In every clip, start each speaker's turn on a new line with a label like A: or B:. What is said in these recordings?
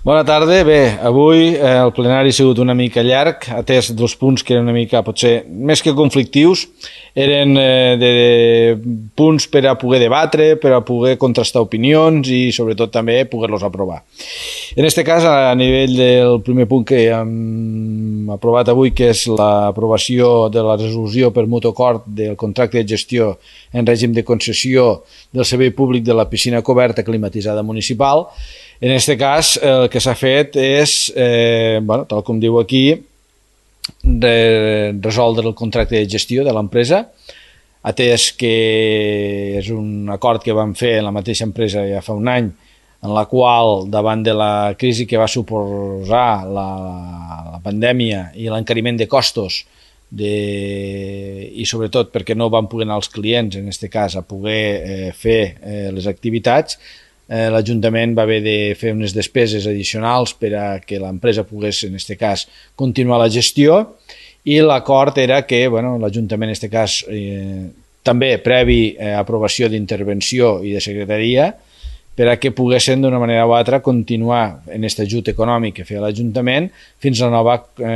A: Bona tarda. Bé, avui el plenari ha sigut una mica llarg, atès dels punts que eren una mica, potser, més que conflictius, eren de punts per a poder debatre, per a poder contrastar opinions i, sobretot, també poder-los aprovar. En aquest cas, a nivell del primer punt que hem aprovat avui, que és l'aprovació de la resolució per mutu acord del contracte de gestió en règim de concessió del servei públic de la piscina coberta climatitzada municipal. En aquest cas, el que s'ha fet és, tal com diu aquí, resoldre el contracte de gestió de l'empresa, atès que és un acord que vam fer en la mateixa empresa ja fa un any, en la qual, davant de la crisi que va suposar la pandèmia i l'encariment de costos, i sobretot perquè no van poder anar els clients, en aquest cas, a poder fer les activitats, l'Ajuntament va haver de fer unes despeses addicionals per a que l'empresa pogués, en aquest cas, continuar la gestió, i l'acord era que l'Ajuntament, en aquest cas, també previ aprovació d'intervenció i de secretaria, per a que poguessin d'una manera o altra continuar en aquest ajut econòmic que feia l'Ajuntament fins a la nova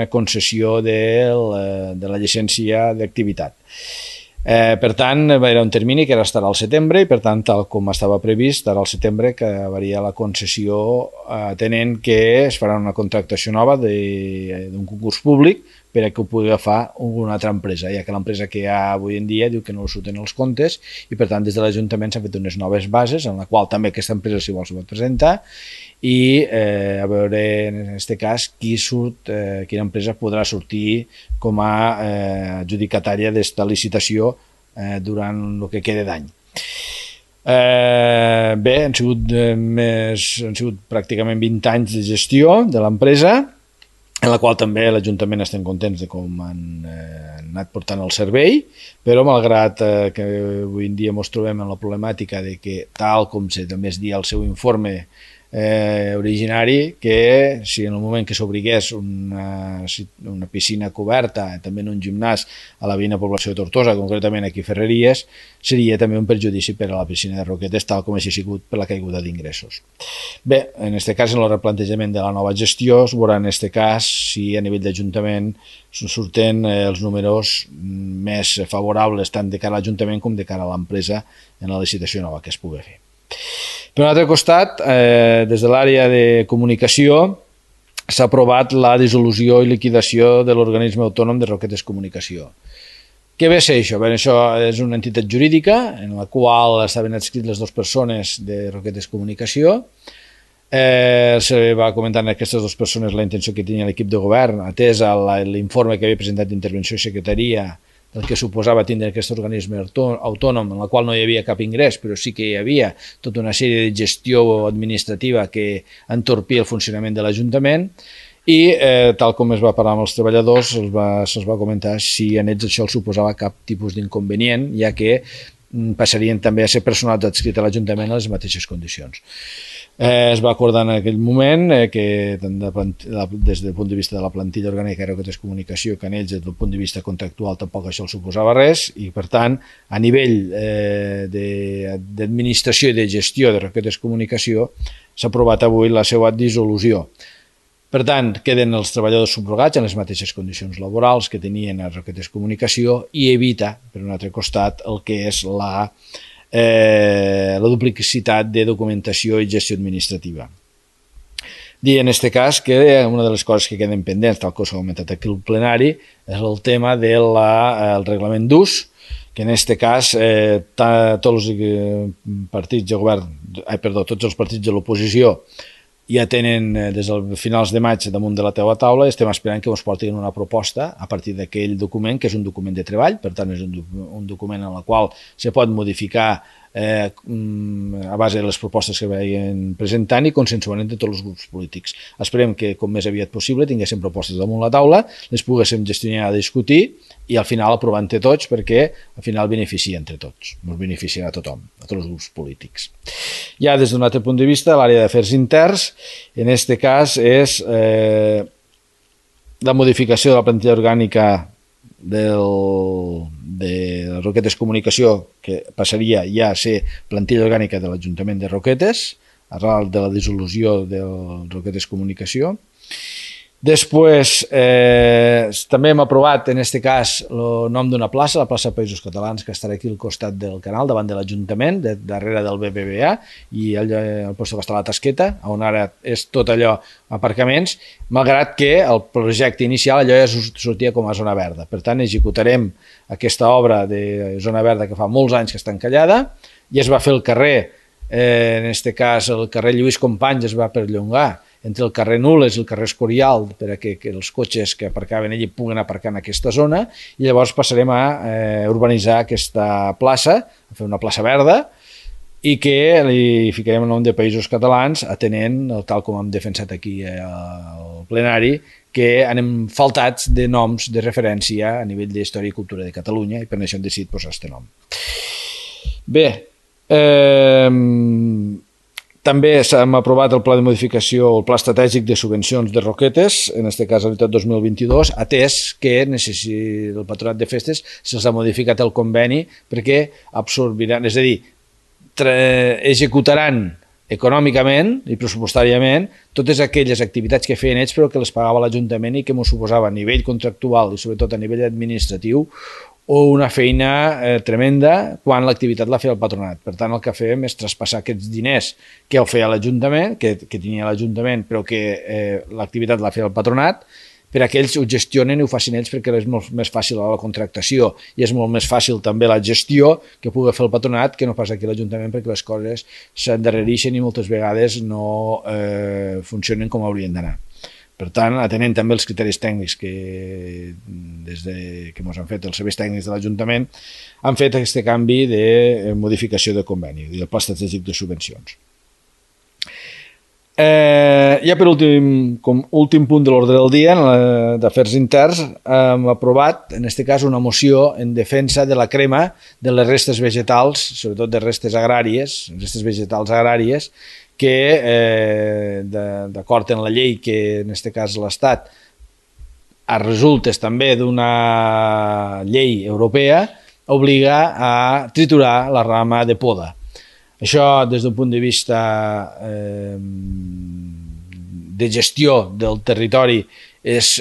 A: concessió de la llicència d'activitat. Per tant, era un termini que estarà al setembre i, per tant, tal com estava previst, estarà al setembre que acabaria la concessió, atenent que es farà una contractació nova d'un concurs públic per a que ho pugui agafar una altra empresa, ja que l'empresa que hi ha avui en dia diu que no surten els comptes i, per tant, des de l'Ajuntament s'han fet unes noves bases en la qual també aquesta empresa, si vol, s'ho pot presentar i a veure, en aquest cas, quina empresa podrà sortir com a adjudicatària d'esta licitació durant el que queda d'any. Bé, han sigut pràcticament 20 anys de gestió de l'empresa, en la qual també l'Ajuntament estem contents de com han anat portant el servei, però malgrat que avui en dia ens trobem en la problemàtica de que, tal com també es dia al seu informe originari, que si en el moment que s'obrigués una piscina coberta, també en un gimnàs a la veïna població de Tortosa, concretament aquí a Ferreries, seria també un perjudici per a la piscina de Roquetes, tal com així ha sigut per la caiguda d'ingressos. Bé, en aquest cas, en el replantejament de la nova gestió, es veurà en aquest cas si a nivell d'Ajuntament surten els números més favorables tant de cara a l'Ajuntament com de cara a l'empresa en la licitació nova que es pugui fer. Per un altre costat, des de l'àrea de comunicació s'ha aprovat la dissolució i liquidació de l'organisme autònom de Roquetes Comunicació. Què ve a ser això? Bé, això és una entitat jurídica en la qual estaven adscrits les dues persones de Roquetes Comunicació. Se va comentar a aquestes dues persones la intenció que tenia l'equip de govern, atès a l'informe que havia presentat d'intervenció i secretaria el que suposava tindre aquest organisme autònom en el qual no hi havia cap ingrés, però sí que hi havia tota una sèrie de gestió administrativa que entorpia el funcionament de l'Ajuntament i, tal com es va parlar amb els treballadors, se'ls va comentar si a ells això els suposava cap tipus d'inconvenient, ja que passarien també a ser personal adscrit a l'Ajuntament a les mateixes condicions. Es va acordar en aquell moment que des del punt de vista de la plantilla orgànica de Roquetes Comunicació, que en ells des del punt de vista contractual tampoc això els suposava res i, per tant, a nivell d'administració i de gestió de Roquetes Comunicació s'ha aprovat avui la seva dissolució. Per tant, queden els treballadors subrogats en les mateixes condicions laborals que tenien a Roquetes Comunicació i evita, per un altre costat, el que és la duplicitat de documentació i gestió administrativa. Dir en aquest cas que una de les coses que queden pendents, tal com s'ha comentat aquí al plenari, és el tema del reglament d'ús, que en aquest cas tots els partits de govern, tots els partits de l'oposició ja tenen des de finals de maig damunt de la teva taula i estem esperant que ens portin una proposta a partir d'aquell document, que és un document de treball, per tant és un document en el qual se pot modificar a base de les propostes que veien presentant i consensuant entre tots els grups polítics. Esperem que com més aviat possible tinguéssim propostes damunt la taula, les poguéssim gestionar a discutir i al final aprovar entre tots perquè al final beneficia entre tots, ens beneficiarà a tothom, a tots els grups polítics. Ja des d'un altre punt de vista, l'àrea d'afers interns, en aquest cas és la modificació de la plantilla orgànica de Roquetes Comunicació, que passaria ja a ser plantilla orgànica de l'Ajuntament de Roquetes, arran de la dissolució del Roquetes Comunicació. Després, també hem aprovat, en aquest cas, el nom d'una plaça, la plaça Països Catalans, que estarà aquí al costat del canal, davant de l'Ajuntament, darrere del BBVA, i al lloc que està la Tasqueta, on ara és tot allò aparcaments, malgrat que el projecte inicial allò ja sortia com a zona verda. Per tant, executarem aquesta obra de zona verda que fa molts anys que està encallada, i es va fer el carrer, en aquest cas el carrer Lluís Companys es va perllongar entre el carrer Nules i el carrer Escorial perquè els cotxes que aparcaven allí puguen aparcar en aquesta zona, i llavors passarem a urbanitzar aquesta plaça, a fer una plaça verda, i que li ficarem el nom de Països Catalans, atenent, tal com hem defensat aquí al plenari, que anem faltats de noms de referència a nivell d'història i cultura de Catalunya, i per això hem decidit posar aquest nom. Bé, també s'ha aprovat el pla de modificació, el pla estratègic de subvencions de Roquetes, en aquest cas el 2022, atès que el Patronat de Festes se'ls ha modificat el conveni perquè absorbiran, és a dir, executaran econòmicament i pressupostàriament totes aquelles activitats que feien ells però que les pagava l'Ajuntament i que ens suposava a nivell contractual i sobretot a nivell administratiu o una feina tremenda quan l'activitat la feia el patronat. Per tant, el que fem és traspassar aquests diners que el feia l'Ajuntament, que tenia l'Ajuntament, però que l'activitat la feia el patronat, per a que ells ho gestionen i ho facin ells perquè és molt més fàcil la contractació i és molt més fàcil també la gestió que pugui fer el patronat que no pas aquí l'Ajuntament, perquè les coses s'endarrereixen i moltes vegades no funcionen com haurien d'anar. Per tant, atenent també els criteris tècnics que des que ens han fet els serveis tècnics de l'Ajuntament, han fet aquest canvi de modificació de conveni i del pla estratègic de subvencions. Ja per últim punt de l'ordre del dia, d'afers interns, hem aprovat, en aquest cas, una moció en defensa de la crema de les restes vegetals, sobretot de restes agràries, restes vegetals agràries, que, d'acord amb la llei que en aquest cas l'Estat resultes també d'una llei europea, obliga a triturar la rama de poda. Això, des d'un punt de vista de gestió del territori, és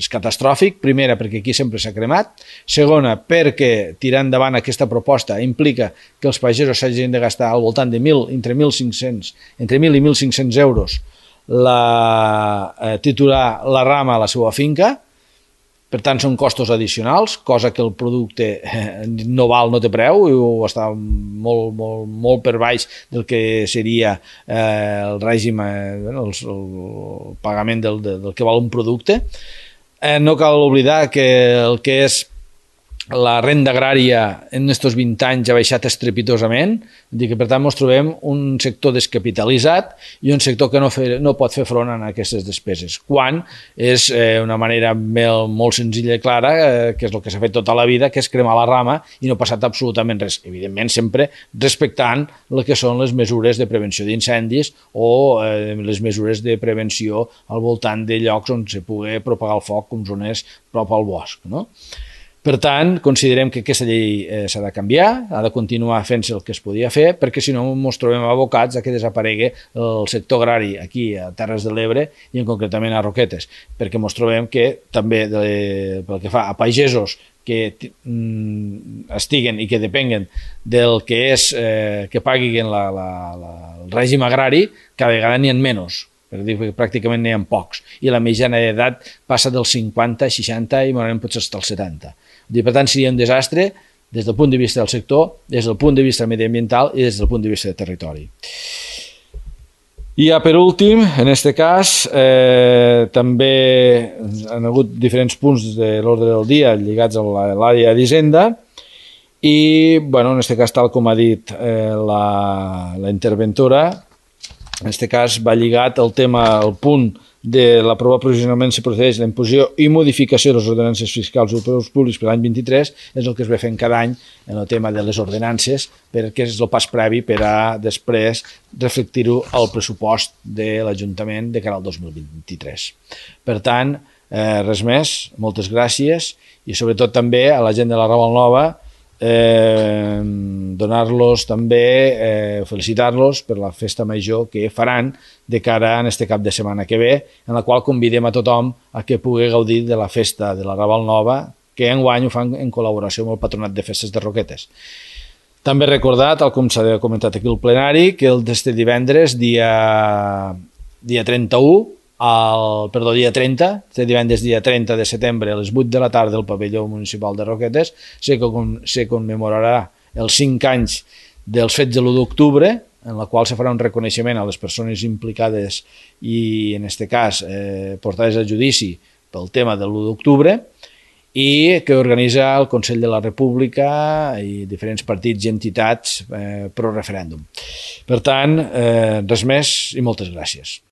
A: catastròfic. Primera, perquè aquí sempre s'ha cremat. Segona, perquè tirar endavant aquesta proposta implica que els pagesos s'hagin de gastar al voltant de entre 1.000 i 1.500 euros triturar la rama a la seva finca. Per tant, són costos addicionals, cosa que el producte no té preu i està molt per baix del que seria el règim, el pagament del que val un producte. No cal oblidar que el que és la renda agrària en aquests 20 anys ha baixat estrepitosament, per tant ens trobem un sector descapitalitzat i un sector que no pot fer front a aquestes despeses, quan és una manera molt senzilla i clara, que és el que s'ha fet tota la vida, que és cremar la rama i no ha passat absolutament res, evidentment sempre respectant el que són les mesures de prevenció d'incendis o les mesures de prevenció al voltant de llocs on se pugui propagar el foc, com zones prop al bosc, no? Per tant, considerem que aquesta llei s'ha de canviar, ha de continuar fent-se el que es podia fer, perquè si no ens trobem abocats a que desaparegui el sector agrari aquí a Terres de l'Ebre i concretament a Roquetes, perquè ens trobem que també pel que fa a pagesos que estiguen i que depenguen del que és que paguin el règim agrari, cada vegada n'hi ha menys. Per dir que pràcticament n'hi ha pocs, i la mitjana d'edat passa dels 50, 60 i morarem potser fins als 70. Per tant, seria un desastre des del punt de vista del sector, des del punt de vista mediambiental i des del punt de vista del territori. I ja per últim, en aquest cas, també han hagut diferents punts de l'ordre del dia lligats a l'àrea d'Hisenda i, en aquest cas, tal com ha dit la interventora, en aquest cas va lligat el tema, el punt de l'aprovar provisionalment si procedeix la imposició i modificació de les ordenances fiscals o preus públics per l'any 23, és el que es va fent cada any en el tema de les ordenances, perquè és el pas previ per a després reflectir-ho al pressupost de l'Ajuntament de cara al 2023. Per tant, res més, moltes gràcies i sobretot també a la gent de la Raval Nova donar-los també, felicitar-los per la festa major que faran de cara a este cap de setmana que ve, en la qual convidem a tothom a que pugui gaudir de la festa de la Raval Nova, que enguany ho fan en col·laboració amb el Patronat de Festes de Roquetes. També recordar, tal com s'ha comentat aquí al plenari, que d'este divendres, dia 31, dia 30, este divendres dia 30 de setembre a les 8 de la tarda al pavelló municipal de Roquetes se commemorarà els 5 anys dels fets de l'1 d'octubre, en la qual se farà un reconeixement a les persones implicades i, en aquest cas, portades a judici pel tema de l'1 d'octubre, i que organitza el Consell de la República i diferents partits i entitats pro referèndum. Per tant, res més i moltes gràcies.